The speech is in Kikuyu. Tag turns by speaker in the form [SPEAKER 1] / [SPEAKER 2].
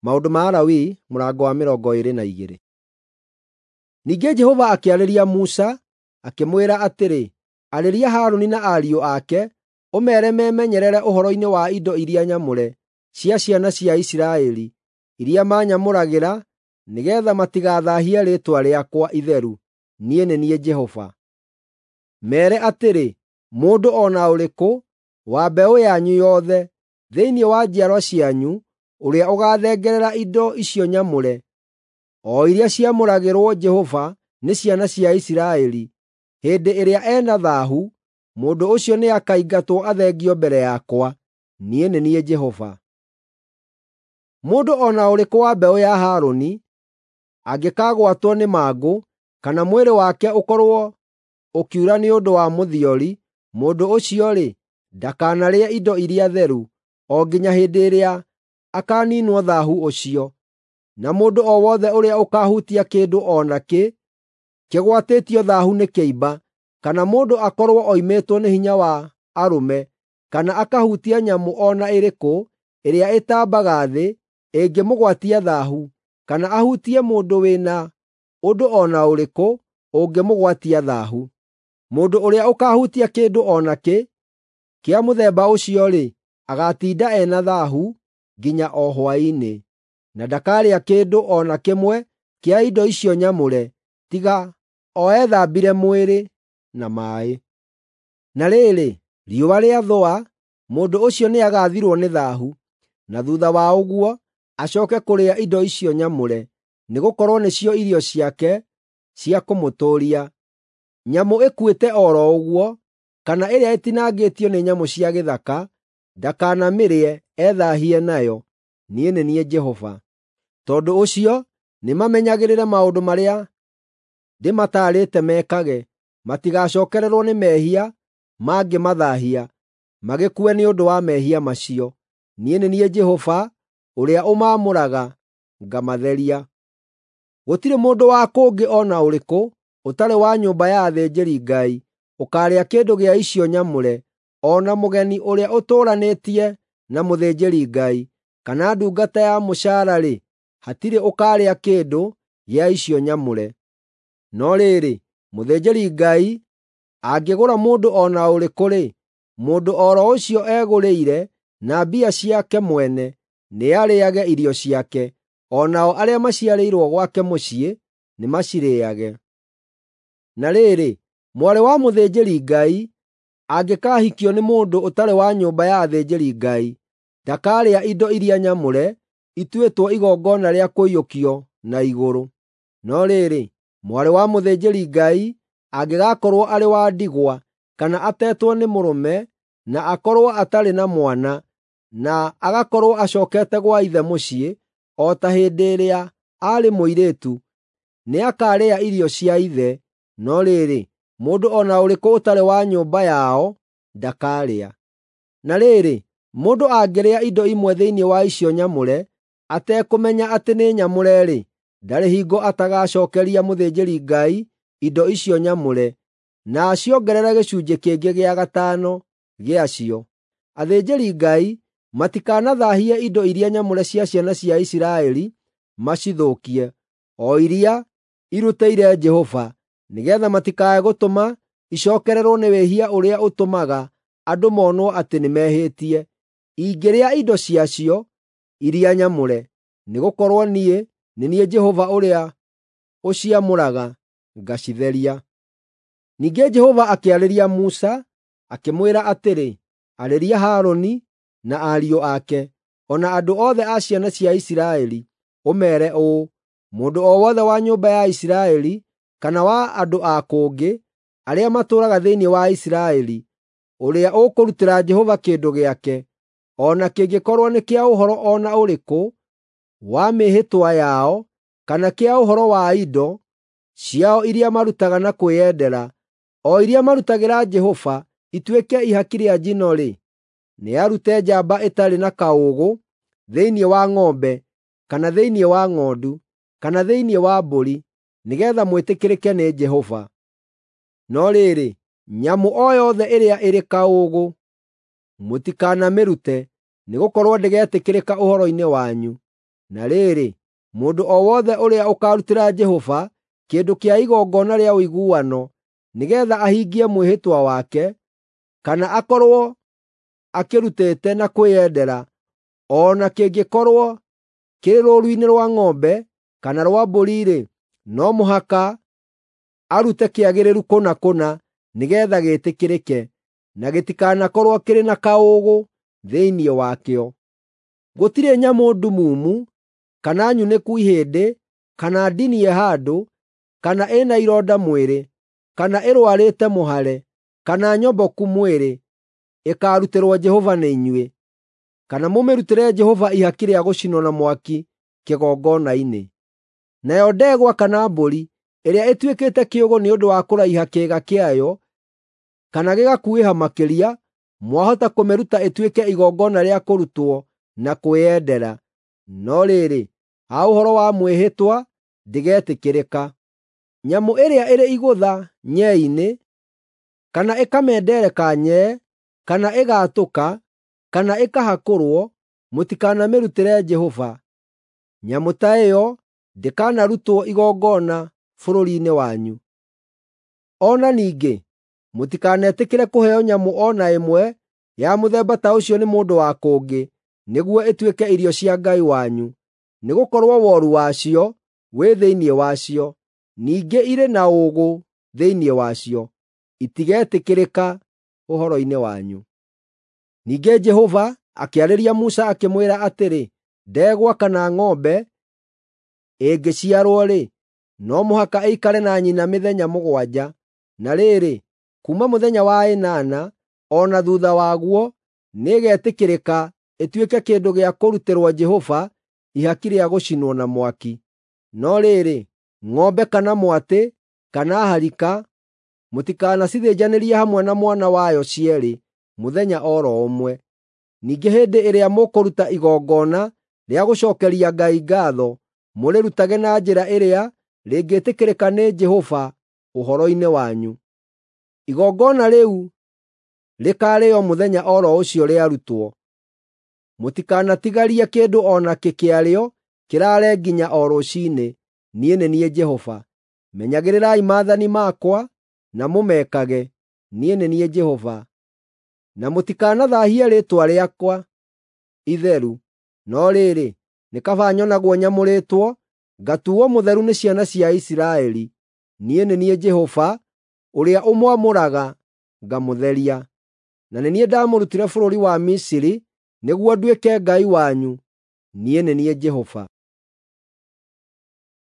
[SPEAKER 1] Maũndũ ma Alawii mũrango wa 22. Ningĩ Jehova akĩarĩria Musa, akĩmwĩra atĩrĩ, Arĩria Harũni na ariũ ake, ũmeere memenyerere ũhoro-inĩ wa indo iria nyamũre cia ciana cia Isiraeli, iria maanyamũragĩra, nĩgeetha matigathaahie rĩĩtwa rĩakwa itheru. Niĩ nĩ niĩ Jehova. Meere atĩrĩ, mũndũ o na ũrĩkũ wa mbeũ yanyu yothe thĩinĩ wa njiarwa cianyu ũrĩa ũgaathengerera indo icio nyamũre, o iria ciamũragĩrwo Jehova nĩ ciana cia Isiraeli, hĩndĩ ĩrĩa e na thaahu, mũndũ ũcio nĩakaingatwo athengio mbere yakwa. Niĩ nĩ niĩ Jehova. Mũndũ o na ũrĩkũ wa mbeũ ya Harũni angĩkagwatwo nĩ mangũ, kana mwĩrĩ wake ũkorwo ũkiura nĩ ũndũ wa mũthiori, mũndũ ũcio-rĩ, ndakanarĩe indo iria theru, o nginya hĩndĩ ĩrĩa akaaniinwo thaahu ũcio. Na mũndũ o wothe ũrĩa ũkaahutia kĩndũ o nakĩ kĩgwatĩtio thaahu nĩ kĩimba, kana mũndũ akorwo oimĩtwo nĩ hinya wa arũme, kana akahutia nyamũ o na ĩrĩkũ ĩrĩa ĩtambaga thĩ ĩngĩmũgwatia thaahu, kana ahutie mũndũ wĩ na ũndũ o na ũrĩkũ ũngĩmũgwatia thaahu. Mũndũ ũrĩa ũkaahutia kĩndũ o nakĩ kĩa mũthemba ũcio-rĩ, agaatinda e na thaahu nginya o hwaĩ-inĩ, na ndakaarĩa kĩndũ o na kĩmwe kĩa indo icio nyamũre, tiga o ethambire mwĩrĩ na maaĩ. Na rĩrĩ, riũa rĩathũa, mũndũ ũcio nĩagathirwo nĩ thaahu, na thuutha wa ũguo acooke kũrĩa indo icio nyamũre, nĩgũkorwo nĩcio irio ciake cia kũmũtũũria. Nyamũ ĩkuĩte o ro ũguo, kana ĩrĩa ĩtinangĩtio nĩ nyamũ cia gĩthaka, ndakanamĩrĩe ethaahie nayo. Niĩ nĩ niĩ Jehova. Tondũ ũcio nĩmamenyagĩrĩre maũndũ marĩa ndĩmataarĩte mekage, matigacookererwo nĩ mehia mangĩmathaahia, magĩkue nĩ ũndũ wa mehia macio. Niĩ nĩ niĩ Jehova ũrĩa ũmaamũraga ngamatheria. Gũtirĩ mũndũ wa kũngĩ o na ũrĩkũ ũtarĩ wa nyũmba ya athĩnjĩri-Ngai ũkaarĩa kĩndũ gĩa icio nyamũre, o na mũgeni ũrĩa ũtũũranĩtie na mũthĩnjĩri-Ngai, kana ndungata ya mũcaara-rĩ, hatirĩ ũkaarĩa kĩndũ gĩa icio nyamũre. No rĩrĩ, mũthĩnjĩri-Ngai angĩgũra mũndũ o na ũrĩkũ-rĩ, mũndũ o ro ũcio egũrĩire na mbia ciake mwene nĩarĩĩage irio ciake, o nao arĩa maciarĩirwo gwake mũciĩ nĩmacirĩĩage. Na rĩrĩ, mwarĩ wa mũthĩnjĩri-Ngai angĩkaahikio nĩ mũndũ ũtarĩ wa nyũmba ya athĩnjĩri-Ngai, ndakaarĩa indo iria nyamũre ituĩtwo igongona rĩa kũiyũkio na igũrũ. No rĩrĩ, mwarĩ wa mũthĩnjĩri-Ngai angĩgakorwo arĩ wa ndigwa kana atetwo nĩ mũrũme na akorwo atarĩ na mwana, na agakorwo acookete gwa ithe mũciĩ o ta hĩndĩ ĩrĩa aarĩ mũirĩtu, nĩakarĩa irio cia ithe, no rĩrĩ, mũndũ o na ũrĩkũ ũtarĩ wa nyũmba yao ndakaarĩa. Na rĩrĩ, mũndũ angĩrĩa indo imwe thĩinĩ wa icio nyamũre atekũmenya atĩ nĩ nyamũre-rĩ, ndarĩ hingo atagacookeria mũthĩnjĩri-Ngai indo icio nyamũre, na aciongerere gĩcunjĩ kĩngĩ gĩa gatano gĩacio. Athĩnjĩri-Ngai matikanathaahie indo iria nyamũre cia ciana cia Isiraeli macithũkie, o iria irutĩire Jehova, nĩgeetha matikae gũtũma icookererwo nĩ wĩhia ũrĩa ũtũmaga andũ monwo atĩ nĩmehĩtie, ingĩrĩa indo ciacio iria nyamũre. Nĩgũkorwo niĩ nĩ niĩ Jehova ũrĩa ũciamũraga ngacitheria. Ningĩ Jehova akĩarĩria Musa, akĩmwĩra atĩrĩ, Arĩria Harũni na ariũ ake, o na andũ othe a ciana cia Isiraeli, ũmeere ũũ: Mũndũ o wothe wa nyũmba ya Isiraeli kana wa andũ a kũngĩ arĩa matũũraga thĩinĩ wa Isiraeli, ũrĩa ũkũrutĩra Jehova kĩndũ gĩake, o na kĩngĩkorwo nĩ kĩa ũhoro o na ũrĩkũ wa mĩĩhĩtwa yao, kana kĩa ũhoro wa indo ciao iria marutaga na kwĩyendera, o iria marutagĩra Jehova ituĩke ihaki rĩa njino-rĩ, nĩarute njamba ĩtarĩ na kaũũgũ thĩinĩ wa ng'ombe, kana thĩinĩ wa ng'ondu, kana thĩinĩ wa mbũri, nĩgeetha mwĩtĩkĩrĩke nĩ Jehova. No rĩrĩ, nyamũ o yothe ĩrĩa ĩrĩ kaũũgũ mũtikanamĩrute, nĩgũkorwo ndĩgetĩkĩrĩka ũhoro-inĩ wanyu. Na rĩrĩ, mũndũ o wothe ũrĩa ũkaarutĩra Jehova kĩndũ kĩa igongona rĩa ũiguano nĩgeetha ahingie mwĩhĩtwa wake, kana akorwo akĩrutĩte na kwĩyendera, o na kĩngĩkorwo kĩrĩ rũũru-inĩ rwa ng'ombe kana rwa mbũri-rĩ, no mũhaka arute kĩagĩrĩru kũna kũna nĩgeetha gĩĩtĩkĩrĩke, na gĩtikanakorwo kĩrĩ na kaũũgũ thĩinĩ wakĩo. Gũtirĩ nyamũ ndumumu, kana nyunĩku ihĩndĩ, kana ndinie handũ, kana ĩna ironda mwĩrĩ, kana ĩrũarĩte mũhare, kana nyomboku mwĩrĩ, ĩkaarutĩrwo Jehova nĩ inyuĩ, kana mũmĩrutĩre Jehova ihaki rĩa gũcinwo na mwaki kĩgongona-inĩ. Nayo ndegwa kana mbũri ĩrĩa ĩtuĩkĩte kĩũgũ nĩ ũndũ wa kũraiha kĩĩga kĩayo, kana gĩgakuhĩha makĩria, mwahota kũmĩruta ĩtuĩke igongona rĩa kũrutwo na kwĩyendera. No rĩrĩ, ha ũhoro wa mwĩhĩtwa, ndĩgetĩkĩrĩka. Nyamũ ĩrĩa ĩrĩ igũtha nyee-inĩ, kana ĩkamendereka nyee, kana ĩgaatũka, kana ĩkahakũrwo, mũtikanamĩrutĩre Jehova. Nyamũ ta ĩyo ndĩkanarutwo igongona bũrũri-inĩ wanyu. O na ningĩ mũtikanetĩkĩre kũheo nyamũ o na ĩmwe ya mũthemba ta ũcio nĩ mũndũ wa kũngĩ nĩguo ĩtuĩke irio cia Ngai wanyu, nĩgũkorwo woru wacio wĩ thĩinĩ wacio, ningĩ irĩ na ũũgũ thĩinĩ wacio. Itigetĩkĩrĩka ũhoro-inĩ wanyu. Ningĩ Jehova akĩarĩria Musa akĩmwĩra atĩrĩ, ndegwa kana ng'ombe ĩngĩciarwo-rĩ, no mũhaka ĩikare na nyina mĩthenya mũgwanja. Na rĩrĩ, kuuma mũthenya wa ĩnana o na thuutha waguo nĩĩgetĩkĩrĩka ĩtuĩke kĩndũ gĩa kũrutĩrwo Jehova ihaki rĩa gũcinwo na mwaki. No rĩrĩ, ng'ombe kana mwatĩ kana harika mũtikanacithĩnjanĩrie hamwe na mwana wayo cierĩ mũthenya o ro ũmwe. Ningĩ hĩndĩ ĩrĩa mũkũruta igongona rĩa gũcookeria Ngai ngaatho, mũrĩrutage na njĩra ĩrĩa rĩngĩtĩkĩrĩka nĩ Jehova ũhoro-inĩ wanyu. Igongona rĩu rĩkaarĩĩo mũthenya o ro ũcio rĩarutwo. Mũtikanatigarie kĩndũ o nakĩ kĩarĩo kĩraare nginya o rũciinĩ. Niĩ nĩ niĩ Jehova. Menyagĩrĩrai maathani makwa na mũmekage. Niĩ nĩ niĩ Jehova. Na mũtikanathaahie rĩĩtwa rĩakwa itheru. No rĩrĩ, nĩ kaba nyonagwo nyamũrĩtwo, ngatuuo mũtheru nĩ ciana cia Isiraeli. Niĩ nĩ niĩ Jehova ũrĩa ũmwamũraga ngamũtheria. Na nĩ niĩ ndaamũrutire bũrũri wa Misiri nĩguo nduĩke Ngai wanyu. Niĩ nĩ niĩ Jehova.